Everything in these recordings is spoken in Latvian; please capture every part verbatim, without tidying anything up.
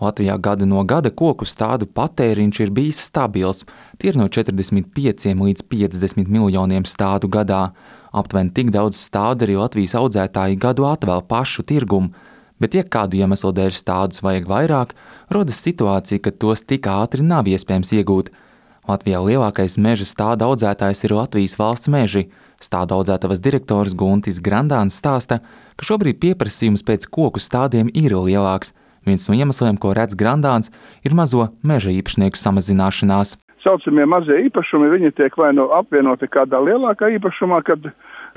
Latvijā gada no gada koku stādu patēriņš ir bijis stabils. Tie ir no četrdesmit pieciem līdz piecdesmit miljoniem stādu gadā. Aptuveni tik daudz stādu arī Latvijas audzētāji gadu atvēl pašu tirgumu. Bet, ja kādu iemeslu dēļ stādus vajag vairāk, rodas situācija, ka tos tik ātri nav iespējams iegūt. Latvijā lielākais meža stāda audzētājs ir Latvijas valsts meži. Stāda audzētavas direktors Guntis Grandāns stāsta, ka šobrīd pieprasījums pēc koku stādiem ir lielāks. Viens no iemesliem, ko redz Grandāns, ir mazo meža īpašnieku samazināšanās. Saucamie mazie īpašumi, viņi tiek vai nu apvienoti kādā lielākā īpašumā, kad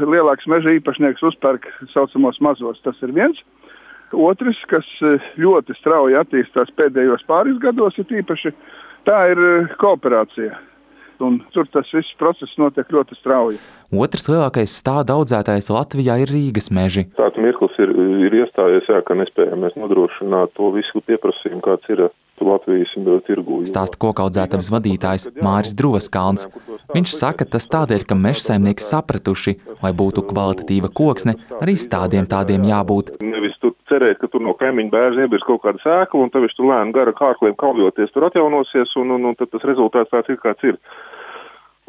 lielāks meža īpašnieks uzpērk saucamos mazos. Tas ir viens. Otrs, kas ļoti strauji attīstās pēdējos pāris gados, ir īpaši, tā ir kooperācija. Un tur tas viss process notiek ļoti strauji. Otrs lielākais stāda audzētājs Latvijā ir Rīgas meži. Tāds mirklis ir, ir iestājies, jā, ka nespējam mēs nodrošināt to visu pieprasījumu, kāds ir Latvijas tirgū. Stāsta kokaudzētavas vadītājs Māris Droskalns. Viņš saka, tas tādēļ, ka mežsaimnieki sapratuši, lai būtu kvalitatīva koksne, arī stādiem tādiem jābūt. Nevis tu cerēt, ka tur no kaimiņu bērza iebirs kaut kāda sēkla, un tad viņš tur lēni gara kārkliem kaujoties tur atjaunosies, un, un, un tad tas rezultāts tāds ir, kāds ir.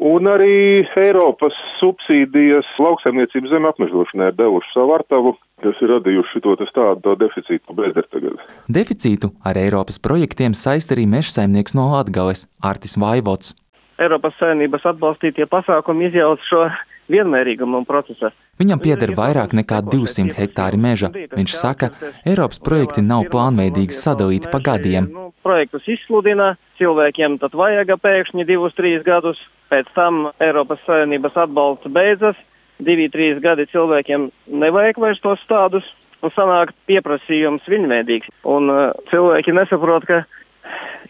Un arī Eiropas subsīdijas lauksaimniecības zeme apmežošanai ir devuši savu artavu, kas ir radījuši šito tādu deficītu bezdara tagad. Deficītu ar Eiropas projektiem saista arī mežsaimnieks no Latgales, Artis Vaivots. Eiropas Savienības atbalstītie pasākumi izjauc šo vienmērīgumu procesā. Viņam pieder vairāk nekā divsimt hektāri meža. Viņš saka, Eiropas projekti nav plānveidīgi sadalīti pa gadiem. Projektus izsludina, cilvēkiem tad vajag pēkšņi divus, trīs gadus, pēc tam Eiropas Savienības atbalsts beidzas, divi, trīs gadi cilvēkiem nevajag vairs tos stādus, un sanāk pieprasījums vienmērīgs. Un uh, cilvēki nesaprot, ka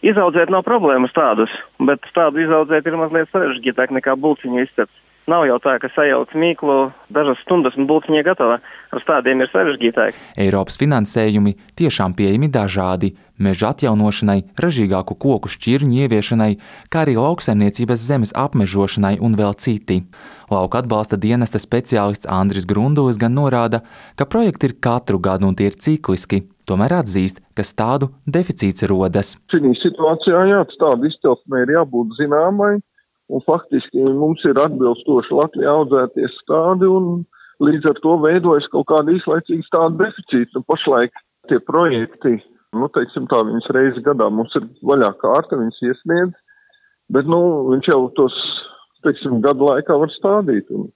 izaudzēt nav problēmas tādus, bet tādu izaudzēt ir mazliet sarežģītāk nekā bulciņu izcept. Nav jau tā, ka sajauc mīklu dažas stundas un bulciņa gatava. Ar stādiem ir sarežģītāk. Eiropas finansējumi tiešām pieejami dažādi. Meža atjaunošanai, ražīgāku koku šķirņu ieviešanai, kā arī lauksaimniecības zemes apmežošanai un vēl citi. Lauka atbalsta dienesta speciālists Andris Grundulis gan norāda, ka projekti ir katru gadu un tie ir cikliski. Tomēr atzīst, ka stādu deficīts rodas. Šī situācijā jā, stādu izcelsmei ir jābūt zināmai. Un faktiski mums ir atbilstoši Latvijā audzēties stādi un līdz ar to veidojas kaut kāda īslaicīga stāda deficīta. Nu, pašlaik tie projekti, nu, teiksim tā, viņas reizi gadā mums ir vaļā kārta, viņas iesniedz, bet, nu, viņš jau tos, teiksim, gadu laikā var stādīt. Un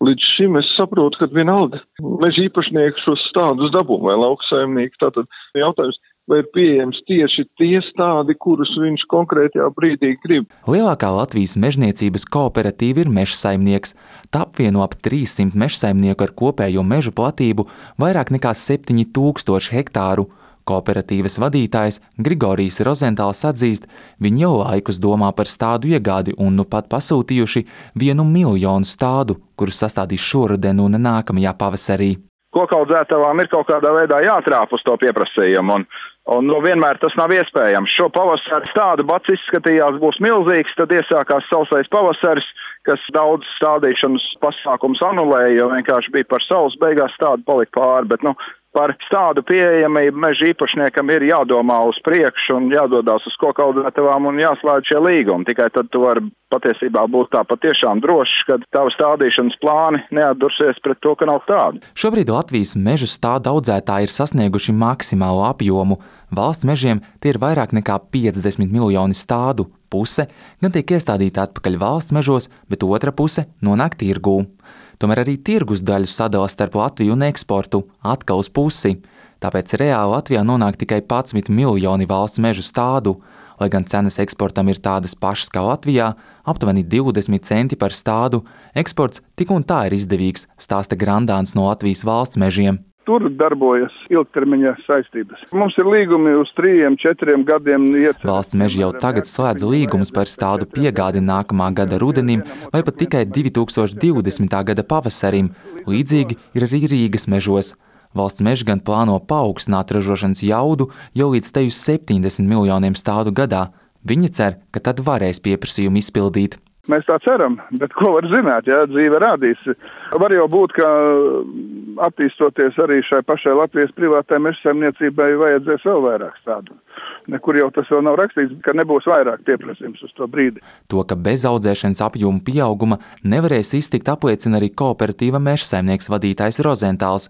līdz šim es saprotu, ka vienalga meža īpašnieki šos stādus dabū vai lauksaimnieki. Tātad jautājums, vai ir pieejams tieši tie stādi, kurus viņš konkrētajā brīdī grib. Lielākā Latvijas mežniecības kooperatīva ir Mežsaimnieks. Tā apvieno ap trīssimt mežsaimnieku ar kopējo mežu platību vairāk nekā septiņi tūkstoši hektāru. Kooperatīvas vadītājs Grigorijs Rozentāls atzīst, viņi jau laikus domā par stādu iegādi un nu pat pasūtījuši vienu miljonu stādu, kurus sastādīs šoruden un nākamajā pavasarī. Kokaudzētavām ir kaut kādā veidā jātrāp uz to pieprasījumu, un, un nu, vienmēr tas nav iespējams. Šo pavasaru stādu bats izskatījās būs milzīgs, tad iesākās sausais pavasaris, kas daudz stādīšanas pasākums anulēja, jo vienkārši bija par saules, beigās stādu palika pāri, bet nu, par stādu pieejamību meža īpašniekam ir jādomā uz priekšu un jādodās uz kokaudzētavām un jāslēdz šie līgumi. Tikai tad tu vari patiesībā būt tā patiešām drošs, ka tavu stādīšanas plāni neatdursies pret to, ka nav stādi. Šobrīd Latvijas mežu stādu audzētāji ir sasnieguši maksimālo apjomu. Valsts mežiem tie ir vairāk nekā piecdesmit miljoni stādu. Puse gan tiek iestādīta atpakaļ valsts mežos, bet otra puse nonāk tirgū. Tomēr arī tirgus daļu sadala starp Latviju un eksportu atkal uz pusi. Tāpēc reāli Latvijā nonāk tikai padsmit miljoni valsts mežu stādu. Lai gan cenas eksportam ir tādas pašas kā Latvijā, aptuveni divdesmit centi par stādu, eksports tik un tā ir izdevīgs, stāsta Grandāns no Latvijas valsts mežiem. Tur darbojas ilgtermiņa saistības. Mums ir līgumi uz trījiem, četriem gadiem. Iecer. Valsts meži jau tagad slēdz līgumus par stādu piegādi nākamā gada rudenim vai pat tikai divi tūkstoši divdesmitā gada pavasarim. Līdzīgi ir arī Rīgas mežos. Valsts meži gan plāno paaugstināt ražošanas jaudu jau līdz te uz septiņdesmit miljoniem stādu gadā. Viņi cer, ka tad varēs pieprasījumu izpildīt. Mēs tā ceram, bet ko var zināt, ja dzīve rādīs. Var jau būt, ka attīstoties arī šai pašai Latvijas privātai mežsaimniecībai vajadzēs vēl vairāk stādu. Nekur jau tas vēl nav rakstīts, ka nebūs vairāk pieprasījums uz to brīdi. To, ka bez audzēšanas apjoma pieauguma nevarēs iztikt, apliecina arī kooperatīva mežsaimnieks vadītājs Rozentāls.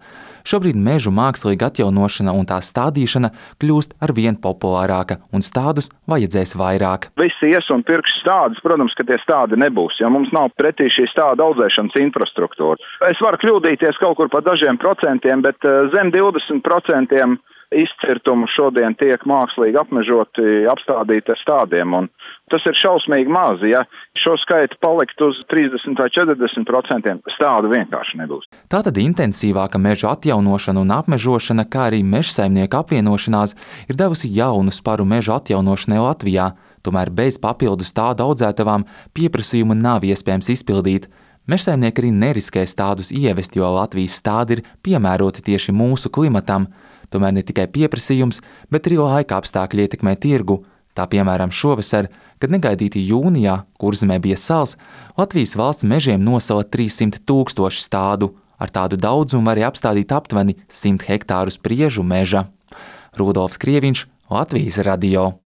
Šobrīd mežu mākslīga atjaunošana un tā stādīšana kļūst arvien populārāka un stādus vajadzēs vairāk. Visi ies un pirks stādus, protams, ka tie stādi nebūs, ja mums nav pretī šī stāda audzēšanas infrastruktūra. Es varu kļūdīties kaut kur pa dažiem procentiem, bet zem divdesmit procentiem izcirtumu šodien tiek mākslīgi apmežoti, apstādīti ar stādiem, un tas ir šausmīgi maz, ja šo skaitu palikt uz trīsdesmit vai četrdesmit procentiem, stādu vienkārši nebūs. Tātad intensīvāka meža atjaunošana un apmežošana, kā arī mežsaimnieku apvienošanās, ir devusi jaunu sparu meža atjaunošanai Latvijā, tomēr bez papildus stādu audzētavām pieprasījumu nav iespējams izpildīt. Mežsaimnieki arī neriskē stādus ievest, jo Latvijas stādi ir piemēroti tieši mūsu klimatam. Tomēr ne tikai pieprasījums, bet arī laika apstākļi ietekmē tirgu. Tā piemēram šovasar, kad negaidīti jūnijā, Kurzemē bija sals, Latvijas valsts mežiem nosala trīssimt tūkstoši stādu. Ar tādu daudzumu varēja apstādīt aptuveni simt hektārus priežu meža. Rudolfs Krieviņš, Latvijas radio.